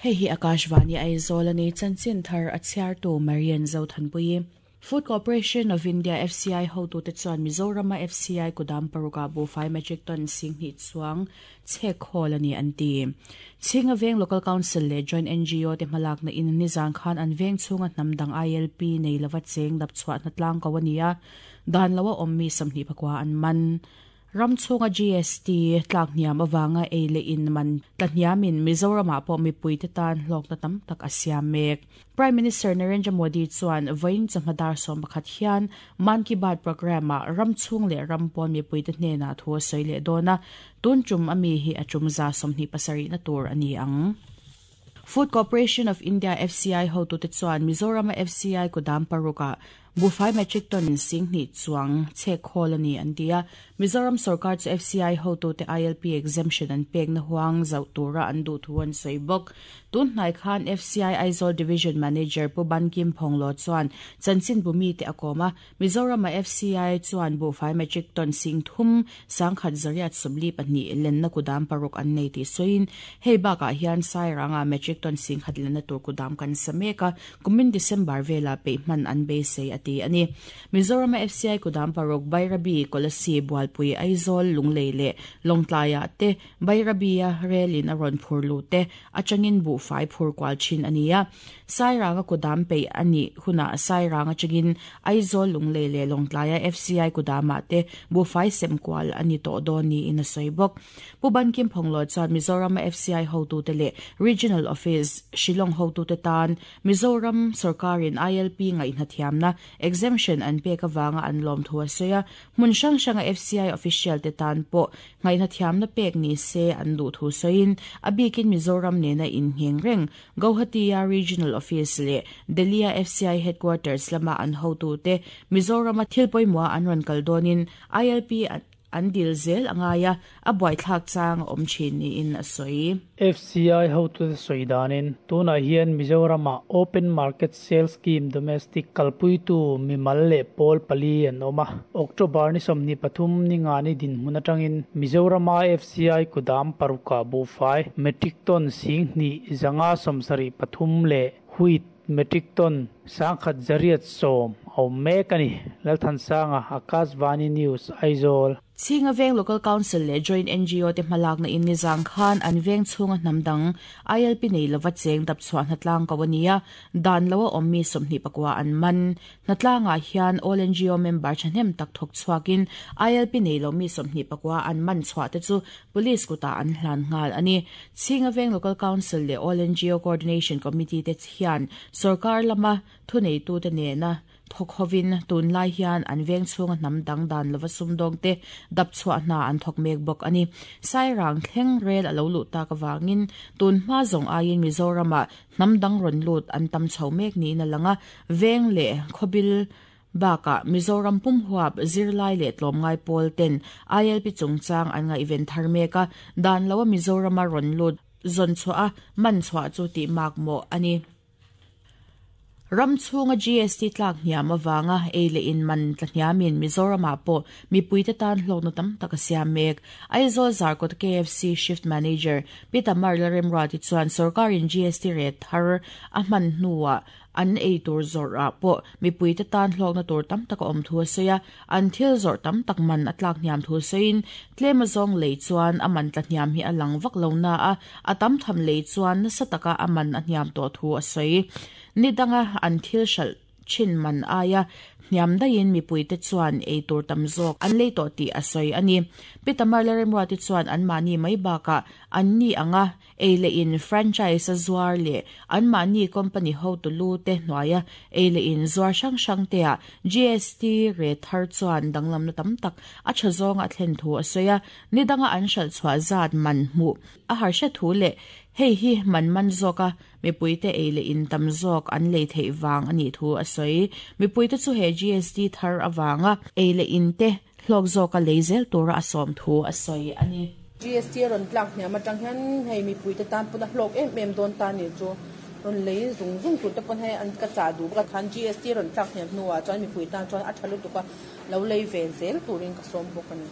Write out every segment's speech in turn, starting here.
Hei hi Akashvani Aizawl a ni, chanchin thar a chhiartu Marian Zothanpuii. Food Corporation of India, FCI, hotute chuan Mizorama FCI kudam parukah buhfai metric ton 2000 chuang chhek khawl a ni an ti. Chhinga Veng Local Council leh Joint NGO te hmalakna in nizan khan an veng chhunga hnam dang ILP nei lova cheng dap chhuah hnatlang ko a ni a, dan loa awm mi 24 an man. Ram chhunga GST tlak hniam avanga ei leh in man tla hniamin Mizoramah pawh mipuite tan hlawkna tam tak a siam mek. Prime Minister Narendra Modi chuan vawiin chawhma dar 11 hian Mann Ki Baat programme-ah ram chhung leh ram pawn mipuite hnenah thu a sawi leh dawn a, tun tum a mi hi a tum 27 na tur a ni ang. Food Corporation of India, FCI, hotute chuan Mizorama FCI kudam parukah Buhfai metric ton 2000 chuang chhek khawl a ni an ti a. Mizoram sorkar chu FCI hotute ILP exemption an pekna huang zauh tura an duh thu an sawi bawk. Tun hnai khan FCI Aizawl Division Manager Pu Bankim Phawnglaw chuan chanchin bu mite a kawm a. Mizorama FCI chuan buhfai metric ton 31 842 lenna kudam paruk an nei tih sawiin hei bakah hian Sairanga metric ton 10,000 lenna tur kudam kan sa mek a. Kumin December vela peih hman an beisei a ti a ni. Mizorama FCI kudam paruk Bairabi, Kolasib, Bualpui, Aizawl, Lunglei leh Lawngtlaiah te Bairabi-a relin a rawn phur luh te atangin buhfai phur kual thin a ni a. Sairanga kudam peih a nih hunah Sairang atangin Aizawl, Lunglei leh Lawngtlaia FCI kudamah te buhfai sem kual a ni tawh dawn niin a sawi bawk. Pu Bankim Phawnglaw chuan Mizorama FCI hotute leh Regional Office, Shillong hotute tan Mizoram sorkarin ILP ngaihna thiamna, exemption, an pek avanga an lawm thu a sawi a, hmun hrang hranga FCI official te tan pawh ngaihna thiamna pek ni se an duh thu sawiin a bikin Mizoram nena inngheng reng Guwahati-a Regional Office leh Delhi-a FCI Headquarters lama an hotute Mizorama thil pawimawha an rawn kal dawnin ILP an dil zel a ngai a, a buaithlak chang a awm thin niin a sawi. FCI hotute sawi danin tunah hian Mizoramah Open Market Sale Scheme Domestic kalpuitu mimal leh pawl pali an awm a. October ni 23 ni ngani dinhmun atangin Mizorama FCI kudam parukah buhfai metric ton 2573 leh wheat metric ton 1810 a awm mek a ni. Lalthansanga, Akashvani News, Aizawl. Chhinga Veng Local Council leh Joint NGO te hmalakna in nizang khan an veng chhunga hnam dang ILP nei lova cheng dap chhuah hnatlang ko a ni a, dan loa awm mi 29 an man. Hnatlangah hian All NGO member thahnem tak thawk chhuakin ILP nei lo mi 29 an man chhuah te chu Police kutah an hlan nghal a ni. Chhinga Veng Local Council leh All NGO Coordination Committee te hian sorkar lama thuneitute nena thawk hovin tunlai hian an veng chhunga hnam dang dan lova sumdawng te dap chhuah hna an thawk mek bawk a ni. Sairang thleng rel a lo luh tak avangin tun hma zawng aiin Mizoramah hnam dang rawn lut an tam chho mek niin a lang a, veng leh khawbil bakah Mizoram pum huap zirlai leh tlawmngai pawl ten ILP chungchang an ngaihven thar mek a, dan loa Mizorama rawn lut zawn chhuah a, man chhuah chu tih mak mawh a ni. Ram chhunga GST tlak hniam avanga ei leh in man tla hniamin Mizoramah pawh mipuite tan hlawkna tam tak a siam mek. Aizawl Zarkawt KFC Shift Manager Pi Tamar Lalremruati chuan sorkarin GST rate thar a hman hnuah an ei tur zawrhah pawh mipuite tan hlawkna tur tam tak a awm thu a sawi a, an thil zawrh tam tak man a tlak hniam thu sawiin tlem azawng lei chuan a man tla hniam hi a lang vak lo na a, a tam tham lei chuan nasa taka a man a hniam tawh thu a sawi. Ni danga an thil hralh thin man aia hniam daihin mipuite chuan ei tur tam zawk an lei tawh tih a sawi a ni. Pi Tamar Lalremruati chuan anmahni mai bakah an ni anga ei leh in franchise a zuar leh anmahni company hotu lu te hnuaia ei leh in zuar hrang hrang te ah GST rate thar chuan danglamna tam tak a tha zawnga a thlen thu a sawi a, ni danga an hralh chhuah zat man hmuh a harsha thu leh hei hi man man zawka mipuite ei leh in tam zawk an lei theih vang a nih thu a sawi. Mipuite chu he GST thar avanga ei leh in te hlawk zawka lei zel tura a sawm thu a sawi a ni. GST a rawn tlak hniam atang hian hei mipuite tan pawn a hlawk em em dawn ta ni chu rawn lei zung zung tur te pawn hei an ka chah duh bawk a, khan GST a rawn tlak hniam hnuah chuan mipui tan chuan a tha lutuk a, lo lei ve zel turin ka sawm bawk a ni.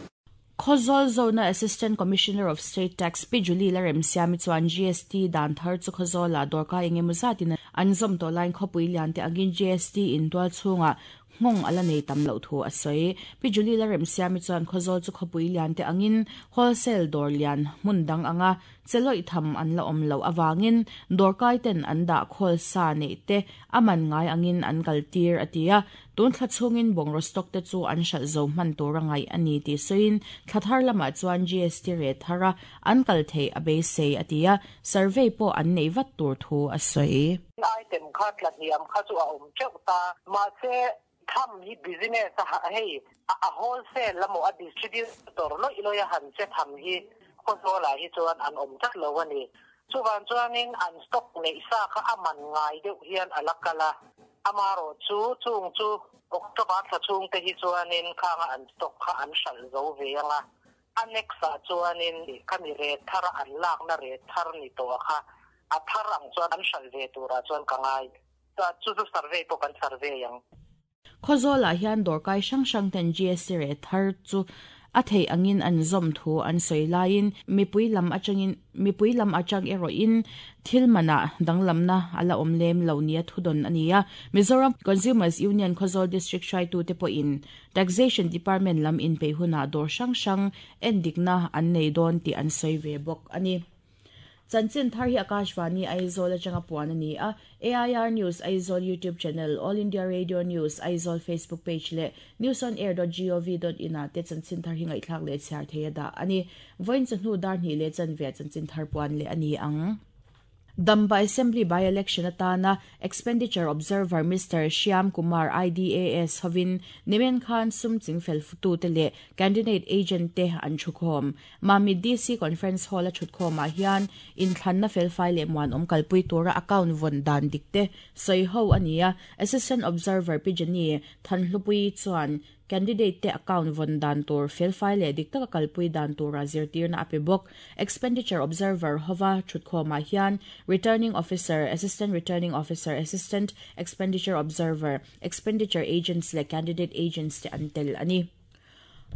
Khawzawl Zone-a Assistant Commissioner of State Tax Pi Julie Laremsiami chuan GST dan thar chu Khawzawlah dawrkai eng emaw zatin an zawm tawh laiin khawpui lian te angin GST in tual chhungah nghawng a la nei tam loh thu a sawi. Pi Julie Laremsiami chuan Khawzawl chu khawpui lian te angin wholesale dawr lian hmun dang anga Che lawih tham an la awm loh avangin dawrkai ten an dah khawl sa neih te a man ngai angin an kal tir a ti a. Tun thla chhungin bungraw stock te chu an hralh zo hman tur a ngaih a ni tih sawiin thla thar lamah chuan GST rate thar a an kal theih a beisei a ti a, survey pawh an neih vat tur thu a sawi. Item kha tla hniam kha chu a awm teuh ta, mahse tham hi business a hei a wholesale emaw a distributor lawih lawih a han che tham hi Khawzawlah hi chuan an awm tlat lo a ni. Chuvang chuanin an stock neih sa kha a man ngai deuh hian a la kal a, amarawh chu chung chu October thla chhungte hi chuanin khanga an stock kha an hralh zo ve ang a, a next ah chuanin khami rate thar a an lakna rate thar ni tawh kha a thar ang chuan an hralh ve turah chuan ka ngai. Chu chu survey pawh kan survey ang. Khawzawlah hian dawrkai hrang hrang ten GST reh thar chu a theih angin an zawm thu an sawi laiin mipui lam atangin mipui lam atang erawhin thil manah danglamna a la awm lem lo nia thudawn a ni a. Mizoram Consumers Union Khawzawl District hruaitute pawhin Taxation Department lam inpeih hunah dawr hrang hrang endikna an nei dawn tih an sawi ve bawk a ni. Chanchin thar hi Akashvani Aizawl atanga puan a ni a, AIR News Aizawl YouTube channel, All India Radio News Aizawl Facebook page leh newsonair dot gov dot in ah te chanchin thar hi ngaihthlak leh chhiar thei a dah a ni. Vawiin chawhnu dar hnih leh chanve chanchin thar puan leh a ni ang. Damba Assembly by-election atana Expenditure Observer Mister Shyam Kumar IDAS hovin nimen khan sum chingfel futute leh candidate agent te an thukhawm. Mamit DC Conference Hall a thutkhawmah hian inthlanna felfai leh muanawm kalpui tura account vawn dan dik te sawi ho a ni a. Assistant Observer Pi Jenny Thanhlupuii chuan candidate te account vawn dan tur felfai leh dik taka kalpui dan tura zirtirna a pe bawk. Expenditure Observer hova thutkhawmah hian Returning Officer, Assistant Returning Officer, Assistant Expenditure Observer, Expenditure Agents leh Candidate Agents te an tel a ni.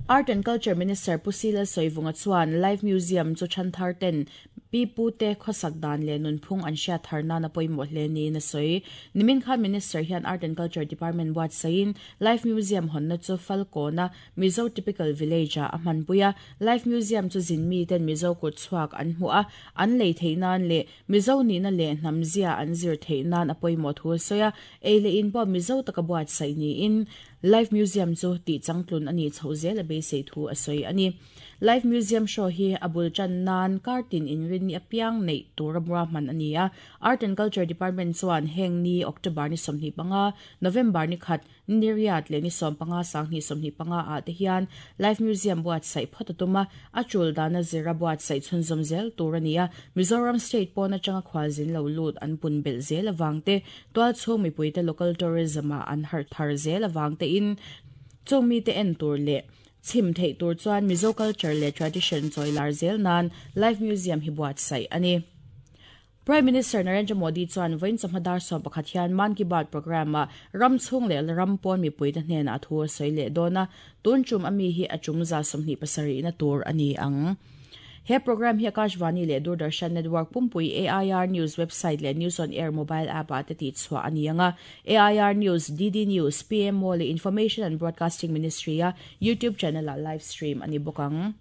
Art and Culture Minister Pu Sila Sawivunga chuan Live Museum chu Thanthar ten pi pu te khawsak dan leh nunphung an hriat thar nan a pawimawh hle niin a sawi. Nimin khan Minister hian Art and Culture Department buatsaihin Live Museum hawnna chu Falkawna Mizo Typical Village ah a hmanpui a. Live Museum chu zin mi ten Mizo kut chhuak an hmuh a, an lei theih nan leh Mizo nihna leh hnam zia an zir theih nan a pawimawh thu a sawi a. Ei leh in pawh Mizo taka buatsaih niin Live Museum chu tih changtlun a nih chhoh zel a beisei thu a sawi a ni. Live Museum show hi a bul tan nan kar tin inrinni apiang neih tura ruahman a ni a. Art and Culture Department chuan heng ni October ni 25, November ni khat, ni riat leh ni 15 sanghnih 25 ah te hian Live Museum buatsaih phawt a tum a, a tul dana zira buatsaih chhunzawm zel tur a ni a. Mizoram State pawn atanga khualzin lo lut an pun belh zel avang te Tualchhung mipuite local tourism-ah an harh thar zel avang tein chung mite en tur leh chhim theih tur chuan Mizo culture leh tradition chawi lar zel nan Live Museum hi buatsaih a ni. Prime Minister Narendra Modi chuan vawiin chawhma dar 11 hian Mann Ki Baat programme-ah ram chhung leh ram pawn mipuite hnenah thu a sawi leh dawn a, tun tum ami hi a tum za 27 na tur a ni ang. He programme hi Akashvani leh Doordarshan Network pumpui AIR News website leh News on Air mobile app-ah te tihchhuah a ni ang a. AIR News, DD News, PMO leh Information and Broadcasting Ministry-a YouTube channel-ah live stream a ni bawk ang.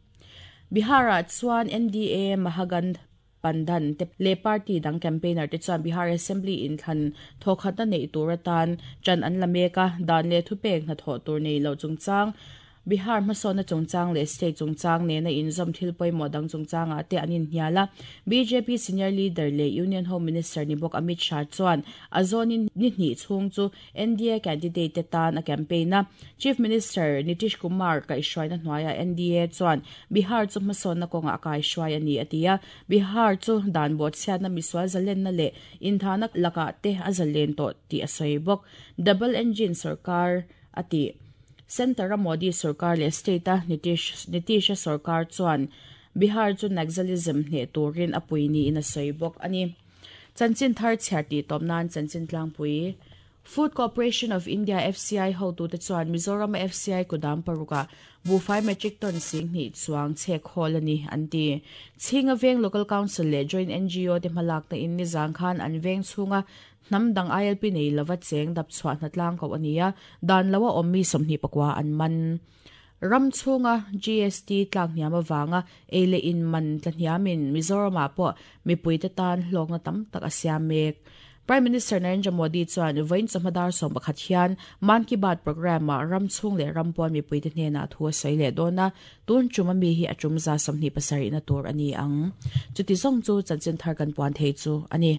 Bihar-ah chuan NDA Mahagandh Bandhan te leh party dang campaigner te chuan Bihar Assembly inthlan thawkhatna neih tur atan ṭan an la mek a, dan leh thupek hnathawh tur nei loh chungchang Bihar hmasawnna chungchang leh state chungchang nena inzawm thil pawimawh dang chungchangah te an inhnial a. Bjp senior leader leh Union Home Minister ni bawk Amit Shah chuan a zawnin ni hnih chhung chu NDA candidate te tan a campaign a. Chief Minister Nitish Kumar kaihhruaina hnuaiah NDA chuan Bihar chu hmasawnna kawngah a kaihhruai a ni a ti a. Bihar chu dan bawhchhiatna misual zalenna leh inthahna lakah te a zalen tawh tih a sawi bawk. Double engine sorkar a ti. Centre-a Modi sorkar leh state-a Nitish Nitish-a sorkar chuan Bihar chu Naxalism hneh turin a pui niin a sawi bawk a ni. Chanchin thar chhiar tih tawp nan chanchin tlangpui. Food Corporation of India, FCI, hotute chuan Mizoram FCI kudam paruka buhfai metric ton 20,000 chuang chhek hawl a ni, an ti. Chhinga Veng Local Council leh Joint NGO te hmalakna in nizang khan an veng chhunga hnam dang ILP nei lova cheng dap chhuah hnatlang koh a ni a, dan loa awm mi 29 an man. Ram chhunga GST tlak hniam avanga ei leh in man tla hniamin Mizoramah pawh mipuite tan hlawkna tam tak a siam mek. Prime Minister Narendra Modi chuan vawiin chawhma dar 11 hian Mann Ki Baat programme-ah ram chhung leh ram pawn mipuite hnenah thu a sawi leh dawn a, tun tum a mi hi a tum za 27 na tur a ni ang. Chuti zawng chu chanchin thar kan puan thei chu a ni.